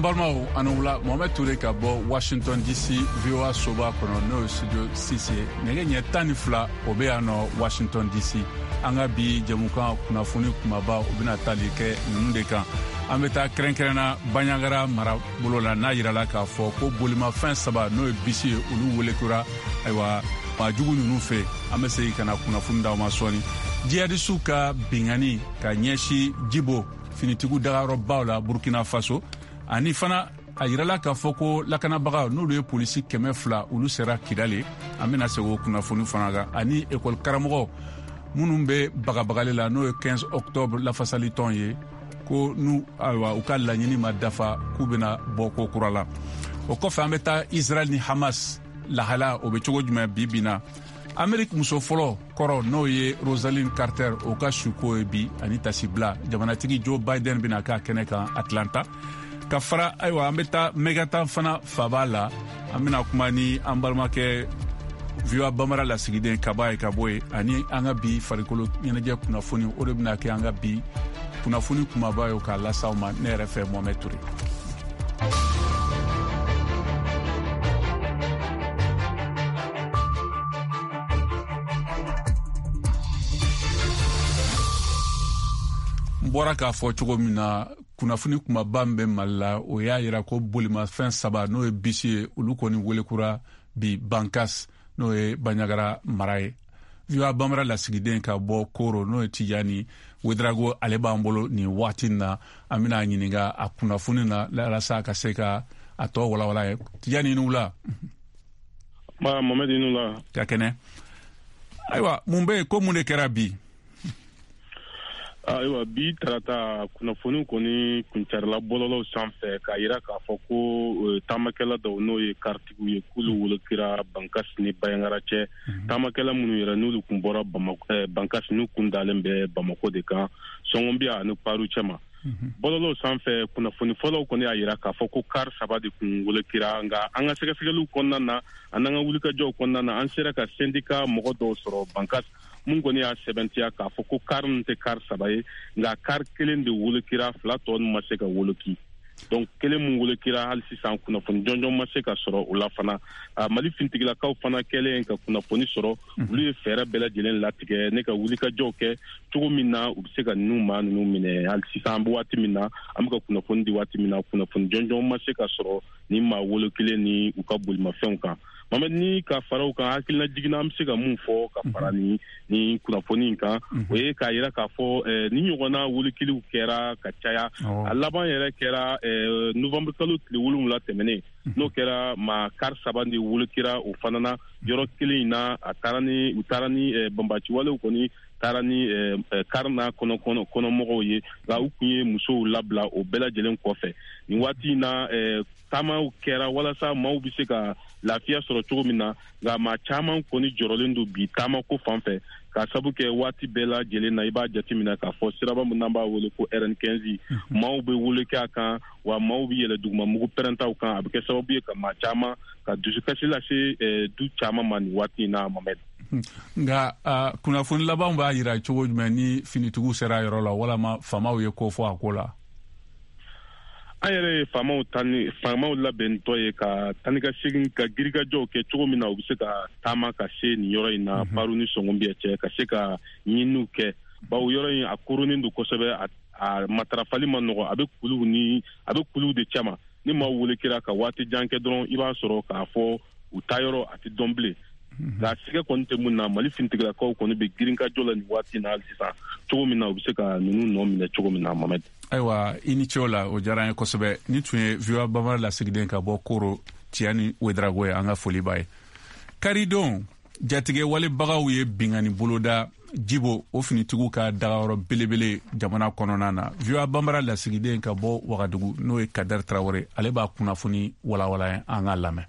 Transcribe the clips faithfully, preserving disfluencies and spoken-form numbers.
Balimaw, ani wula. Mohamed Toure ka bɔ Washington D C, V O A soba kɔnɔ, n'o ye studio six ye. Nɛgɛ ɲɛ tan ni fila o bɛ yan nɔ Washington D C. An ka bi jɛmukan kunnafoni kumaba, o bɛna tali kɛ ninnu de kan. An bɛ taa kɛrɛnkɛrɛnna Banjagara marabolo la, n'a yirala k'a fɔ ko bolimafɛn saba, n'o ye bisi ye, olu welekura ayiwa maajugu ninnu fɛ. An bɛ segin ka na kunnafoni d'aw ma sɔɔni. Jihadisiw ka bingani ka ɲɛsin Jibo finitigiw dagayɔrɔbaw la Burkina Faso, ani fana a yirala k'a fɔ ko lakanabagaw, n'olu ye polisi kɛmɛ fila, olu sera Kidali. An bɛna segin o kunnafoni fana kan, ani ekɔli karamɔgɔ minnu bɛ bagabagali la, n'o ye quinze octobre lafasalitɔn ye, ko n'u ayiwa u ka laɲini ma dafa, k'u bɛna bɔ ko kura la. O kɔfɛ, an bɛ taa Israel ni Hamas lahala, o bɛ cogo jumɛn bi bi na? Ameriki muso fɔlɔ kɔrɔ, n'o ye Rosalynn Carter, o ka suko ye bi, ani tasibila jamanatigi Joe Biden bɛna k'a kɛnɛ kan Atlanta. Ka fara ayiwa, an bɛ taa Megata fana faba la. An bɛna kuma ni an balimakɛ V O A Bambara lasigiden Kaba ye ka bɔ yen, ani an ka bi farikolo ɲɛnajɛ kunnafoni. O de bɛna kɛ an ka bi kunnafoni kumaba ye k'a las'aw ma ne yɛrɛ fɛ, Mohamed Toure. N bɔra k'a fɔ cogo min na, kunnafoni kumaba min bɛ Mali la, o y'a yira ko bolimafɛn saba, n'o ye bisi ye, olu kɔni welekura bi Bankas, n'o ye Banjagara mara ye. V O A Bambara lasigiden ka bɔ Koro, n'o ye Tijani Wedrago, ale b'an bolo nin waati na. An bɛna ɲininka a kunnafoni na walasa ka se ka a tɔ walawala ye. Tijani, ni wula. Ma Mohamed, i ni wula. Ka kɛnɛ. Ayiwa, mun bɛ yen? Ko mun de kɛra bi? Ayiwa, bi tarata, kunnafoni kɔni kuncarila bɔlɔlɔw sanfɛ k'a yira k'a fɔ ko taamakɛla dɔw, n'o ye karitigiw ye, k'olu wolokira Bankasi ni Bayangara cɛ. Taamakɛla minnu yɛrɛ n'olu kun bɔra Bankasi, n'u kun dalen bɛ Bamako de kan, Sɔngɔnbiya ani Paru cɛma. Bɔlɔlɔw sanfɛ kunnafoni fɔlɔw kɔni y'a yira k'a fɔ ko kari saba de kun wolokira, nka an ka sɛgɛsɛgɛliw kɔnɔna na ani an ka wulikajɔw kɔnɔna na, an sera ka syndicat mɔgɔ dɔw sɔrɔ Bankas mun kɔni y'a sɛbɛntiya k'a fɔ ko kari ninnu tɛ kari saba ye, nka kari kelen de wolokira, fila tɔ ma se ka woloki. Donc kelen mun wolokira, hali sisan kunnafoni jɔnjɔn ma se ka sɔrɔ o la fana. Mali fintigilakaw fana kɛlen ka kunnafoni sɔrɔ, olu ye fɛɛrɛ bɛɛ lajɛlen latigɛ ne ka wulikajɔw kɛ cogo min na u bɛ se ka ninnu maa ninnu minɛ. Hali sisan, an bɛ waati min na, an bɛ ka kunnafoni di waati min na, kunnafoni jɔnjɔn ma se ka sɔrɔ ni maa wolokilen ni u ka bolimafɛnw kan. Mamadu, ni ka fara o kan, hakilina jiginna, an bɛ se ka mun fɔ ka fara ni ni kunnafoni in kan, o ye k'a yira k'a fɔ ni ɲɔgɔnna wolokiliw kɛra ka caya. A laban yɛrɛ kɛra novembre kalo tile wolonwula tɛmɛnen, n'o kɛra maa kari saba de wolokira o fana na yɔrɔ kelen in na. A taara ni u taara ni banbaciwalew kɔni taara ni kari n'a kɔnɔ kɔnɔmɔgɔw ye, nka u kun ye musow labila o bɛɛ lajɛlen kɔfɛ. Nin waati in na, taamaw kɛra walasa maaw bɛ se ka lafiya sɔrɔ cogo min na, nka maa caman kɔni jɔrɔlen don bi taama ko fan fɛ, k'a sabu kɛ waati bɛɛ lajɛlen na, i b'a jateminɛ k'a fɔ siraba min n'an b'a wele ko R N quinze, maaw bɛ wele kɛ a kan, wa maaw bɛ yɛlɛ duguma mugu pɛrɛntaw kan. A bɛ kɛ sababu ye ka maa caman ka dusukasi lase du caman ma nin waati in na, Mamɛdi. Nka kunnafoni labanw b'a yira cogo jumɛn ni finitigiw sera yɔrɔ la, walama faamaw ye ko fɔ a ko la? An yɛrɛ ye faamaw tani faamaw labɛntɔ ye ka tani ka segin ka girikajɔw kɛ cogo min na u bɛ se ka taama ka se nin yɔrɔ in na, Paru ni Sɔngɔnbiya cɛ, ka se ka ɲininiw kɛ, bawo yɔrɔ in a koronnen don kosɛbɛ, a a matarafali ma nɔgɔ, a bɛ kuluw ni a bɛ kuluw de cɛma. Ni maaw wele kɛra ka waati jan kɛ dɔrɔn, i b'a sɔrɔ k'a fɔ u taa yɔrɔ a tɛ dɔn bilen. Nka sigɛ kɔni tɛ mun na, Mali finitigilakaw kɔni bɛ girinkajɔ la nin waati in na hali sisan, cogo min na u bɛ se ka ninnu nɔ minɛ cogo min na, Mamɛdi. Ayiwa, i ni ce o la, o diyara an ye kosɛbɛ. Ni tun ye V O A Bambara lasigiden ka bɔ Koro, Tiyani Wedrago ye, an ka foli b'a ye. Karidon, jatigɛ walebagaw ye bingani boloda Jibo, o finitigiw ka dagayɔrɔ belebele jamana kɔnɔna na. V O A Bambara lasigiden ka bɔ Wagadugu, n'o ye Kadɛri Tarawele, ale b'a kunnafoni walawala, an k'a lamɛn.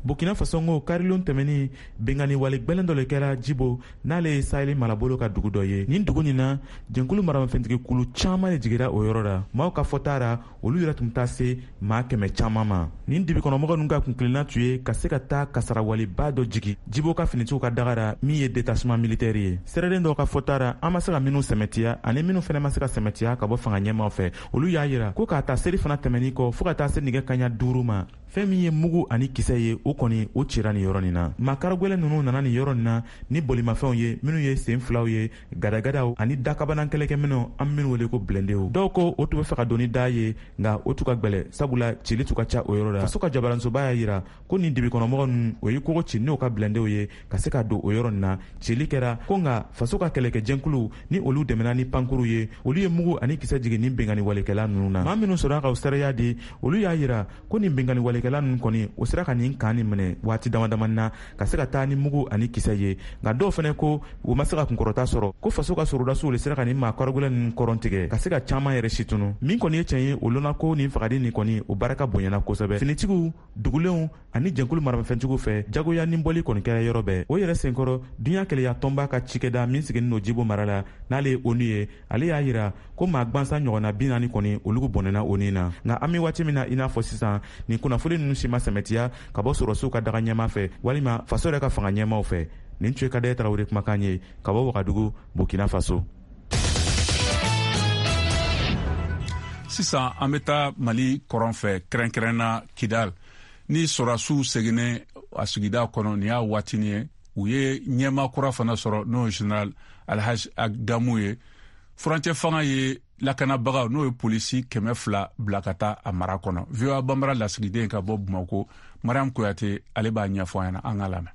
Burkina Faso ko karilon tɛmɛnin binkanni wale gwɛlɛn dɔ le kɛra Jibo, n'ale ye Sahel marabolo ka dugu dɔ ye. Nin dugu nin na, jɛnkulu maramafɛntigi kulu caman de jigira o yɔrɔ la. Maaw ka fɔta ra, olu yɛrɛ tun taa se maa kɛmɛ caman ma. Nin dibikɔnɔmɔgɔ ninnu ka kunkilenna tun ye ka se ka taa kasarawaleba dɔ jigi Jibo ka finitigiw ka daga ra, min ye détachement militaire ye. Sɛrɛden dɔw ka fɔta ra, an ma se ka minnu sɛmɛtiya ani minnu fɛnɛ ma se ka sɛmɛtiya ka bɔ fanga ɲɛmaw fɛ, olu y'a yira ko k'a ta seri fana tɛmɛnin kɔ fɔɔ ka taa se nɛgɛ kaɲa duuru ma, fɛn min ye mugu ani kisɛ ye, o kɔni o cira nin yɔrɔ nin na. Makaragwɛlɛ ninnu nana nin yɔrɔ nin na ni bolimafɛnw ye, minnu ye sen filaw ye, gadagadaw ani dakabanan kɛlɛkɛminɛw, an minnu wele ko blindéw. Dɔw ko o tun bɛ fɛ ka don ni da ye, nka o tun ka gwɛlɛ, sabula cili tun ka ca o yɔrɔ la. Faso ka jabaransoba y'a yira ko nin dibikɔnɔmɔgɔ ninnu, o ye kogo ci n'o ka blindéw ye ka se ka don o yɔrɔ nin na. Cili kɛra ko, nka faso ka kɛlɛkɛjɛnkuluw ni olu dɛmɛna ni pankuru ye, olu ye mugu ani kisɛ jigin nin binkanni walekɛla ninnu na. Maa minnu sɔrɔla ka o seereya di, olu y'a yira ko nin binkanni walekɛla ninnu kɔni, o sera ka nin kan nin minɛ waati dama damani na ka se ka taa ni mugu ani kisɛ ye. Nka dɔw fɛnɛ ko u ma se ka kunkɔrɔta sɔrɔ, ko faso ka sorodasiw le sera ka nin maa karogɛlɛn ninnu kɔrɔn tigɛ ka se ka caman yɛrɛ situnu. Min kɔni ye tiɲɛ ye, o lɔnna ko nin fagali nin kɔni, o barika bonyana kosɛbɛ. Finitigiw dugulenw ani jɛnkulu maramafɛntigiw fɛ, jagoya ni bɔli kɔni kɛra yɔrɔ bɛɛ. O yɛrɛ senkɔrɔ, duɲa keleya tɔnba ka cikɛda min sigilen don Jibo mara la, n'ale ye ONU ye, ale y'a yira ko maa gwansan ɲɔgɔnna bi naani kɔni, olu bɔnɛna o ni na. Nka an bɛ waati min na i n'a fɔ sisan, nin kunnafoni ninnu si ma sɛmɛtiya ka bɔ sɔrɔsiw ka daga ɲɛma fɛ walima faso yɛrɛ ka fanga ɲɛmaw fɛ. Nin tun ye Kadɛ Tarawele kumakan ye ka bɔ Wagadugu, Burkina Faso. Sisan an bɛ taa Mali kɔrɔn fɛ, kɛrɛnkɛrɛnna Kidal. Ni sɔrɔsiw seginnen a sigida kɔnɔ, nin y'a waatinin ye, u ye ɲɛmaa kura fana sɔrɔ, n'o ye général Alhaji Agamu ye. Furancɛ fanga ye lakanabagaw, n'o ye polisi kɛmɛ fila bila ka taa a mara kɔnɔ. V O A Banbara lasigiden ka bɔ Bamako, Mariam Kuyate, ale b'a ɲɛfɔ an ɲɛna, an k'a lamɛn.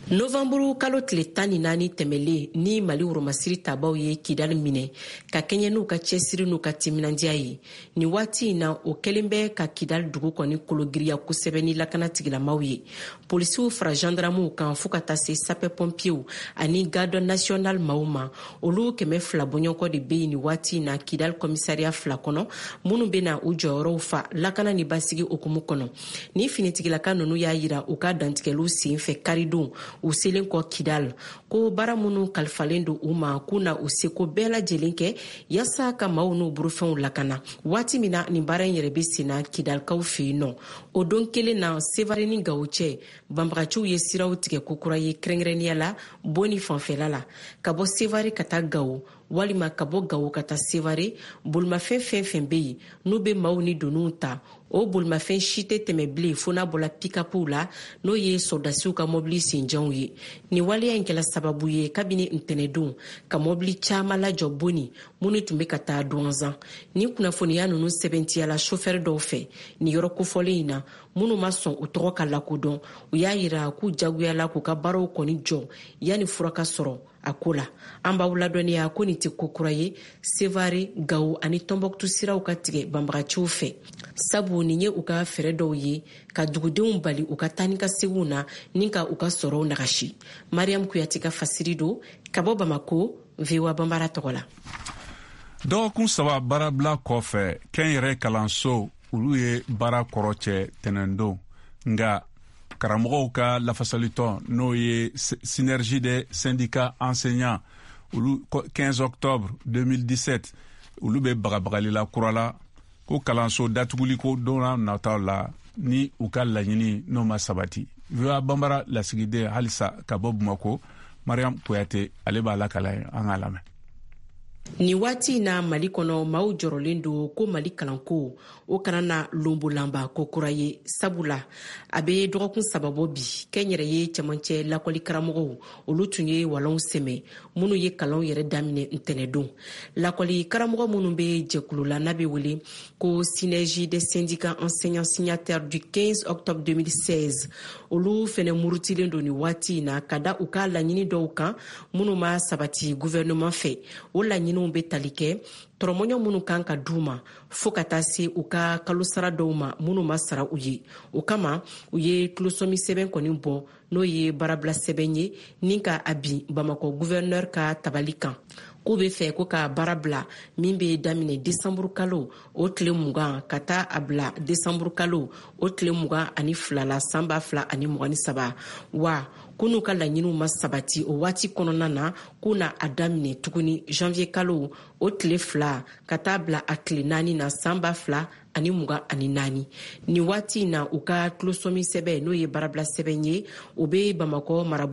Novanburu kalo tile tan ni naani tɛmɛlen ni Mali woromasiri tabaw ye Kidali minɛ ka kɛɲɛ n'u ka cɛsiri n'u ka timinandiya ye. Nin waati in na, o kɛlen bɛ ka Kidali dugu kɔni kologiriya kosɛbɛ ni lakana tigilamaw ye. Polisiw fara gendarmew kan fo ka taa se sapeur pompiers ani garde national maaw ma, olu kɛmɛ fila bɔɲɔgɔnkɔ de bɛ yen nin waati in na Kidali commissariat fila kɔnɔ, minnu bɛna u jɔyɔrɔw fa lakana ni basigi hukumu kɔnɔ. Ni finitigilaka ninnu y'a yira u ka dantigɛliw sen fɛ karidon u selen kɔ Kidal ko baara minnu kalifalen don u ma, k'u na u seko bɛɛ lajɛlen kɛ yaasa ka maaw n'u burufɛnw lakana. Waati min na nin baara in yɛrɛ bɛ senna Kidalikaw fɛ yen nɔ, o don kelen na Sevare ni Gawo cɛ, banbagaciw ye siraw tigɛ kokura ye, kɛrɛnkɛrɛnnenya la Boni fanfɛla la. Ka bɔ Sevare ka taa Gawo walima ka bɔ Gawo ka taa Sevare, bolimafɛn fɛn fɛn bɛ yen n'u bɛ maaw ni doniw ta, o bolimafɛn si tɛ tɛmɛ bilen fo n'a bɔla pikapuw la, n'o ye sɔrɔdasiw ka mɔbili senjanw ye. Nin waleya in kɛla sababu ye kabini ntɛnɛdon ka mɔbili caman lajɔ Boni minnu tun bɛ ka taa Duwanzan. Nin kunnafoniya ninnu sɛbɛntiyala sofɛri dɔw fɛ nin yɔrɔ kofɔlen in na, minnu ma sɔn u tɔgɔ ka lakodɔn. U y'a yira k'u jagoyala k'u ka baaraw kɔni jɔ yanni fura ka sɔrɔ a ko la. An b'aw ladɔnniya ko nin tɛ ko kura ye Sevare, Gawo ani Tɔnbɔkutu siraw ka tigɛ banbagaciw fɛ, sabu nin ye u ka fɛɛrɛ dɔw ye ka dugudenw bali u ka taa ni ka seginw na ni ka u ka sɔrɔw nagasi. Mariam Kuyate ka fasiri don ka bɔ Bamako, V O A Banbara tɔgɔ la. Dɔgɔkun saba baarabila kɔfɛ, kɛnyɛrɛ kalanso olu ye baara kɔrɔ cɛ tɛnɛndon, nka karamɔgɔw ka lafasalitɔn, n'o ye Synergie des syndicats enseignants, olu quinze octobre deux mille dix-sept, olu bɛ bagabagali la kura la ko kalanso datuguli ko don nataw la ni u ka laɲini n'o ma sabati. V O A Banbara lasigiden halisa ka bɔ Bamako, Mariam Kuyate, ale b'a lakala ye, an k'a lamɛn. Nin waati in na Mali kɔnɔ, maaw jɔrɔlen don ko Mali kalanko o kana na lonbolanba ko kura ye, sabula a bɛ dɔgɔkun saba bɔ bi, kɛnyɛrɛye cɛmancɛ lakɔli karamɔgɔw olu tun ye walɔnw sɛmɛ minnu ye kalanw yɛrɛ daminɛ ntɛnɛdon. Lakɔli karamɔgɔ minnu bɛ jɛkulu la n'a bɛ wele ko Synergie des syndicats enseignants signataires du quinze octobre deux mille seize, olu fɛnɛ murutilen don nin waati in na ka da u ka laɲini dɔw kan minnu ma sabati gouvernement fɛ. O laɲiniw bɛ tali kɛ tɔrɔmɔɲɔ minnu kan ka d'u ma Fo ka taa se u ka kalosara dɔw ma minnu ma sara u ye. O kama, u ye tulosɔmi sɛbɛn kɔni bɔ, n'o ye baarabila sɛbɛn ye, ni ka a bin Bamakɔ gouverneur ka tabali kan, k'u be fɛ ko ka baara bila min be daminɛ desanburu kalo o tile mugan ka taa a bila desanburu kalo o tile mugan ani fila la, san ba fila ani mugan ni saba. Wa ko n'u ka laɲiniw ma sabati o waati kɔnɔna na, k'u na a daminɛ tuguni janvier kalo o tile fila ka taa bila a tile naani na, san ba fila ani mugan ani naani. Nin waati in na, u ka tulosɔmi sɛbɛn, n'o ye baarabila sɛbɛn ye, o be Bamakɔ marabolo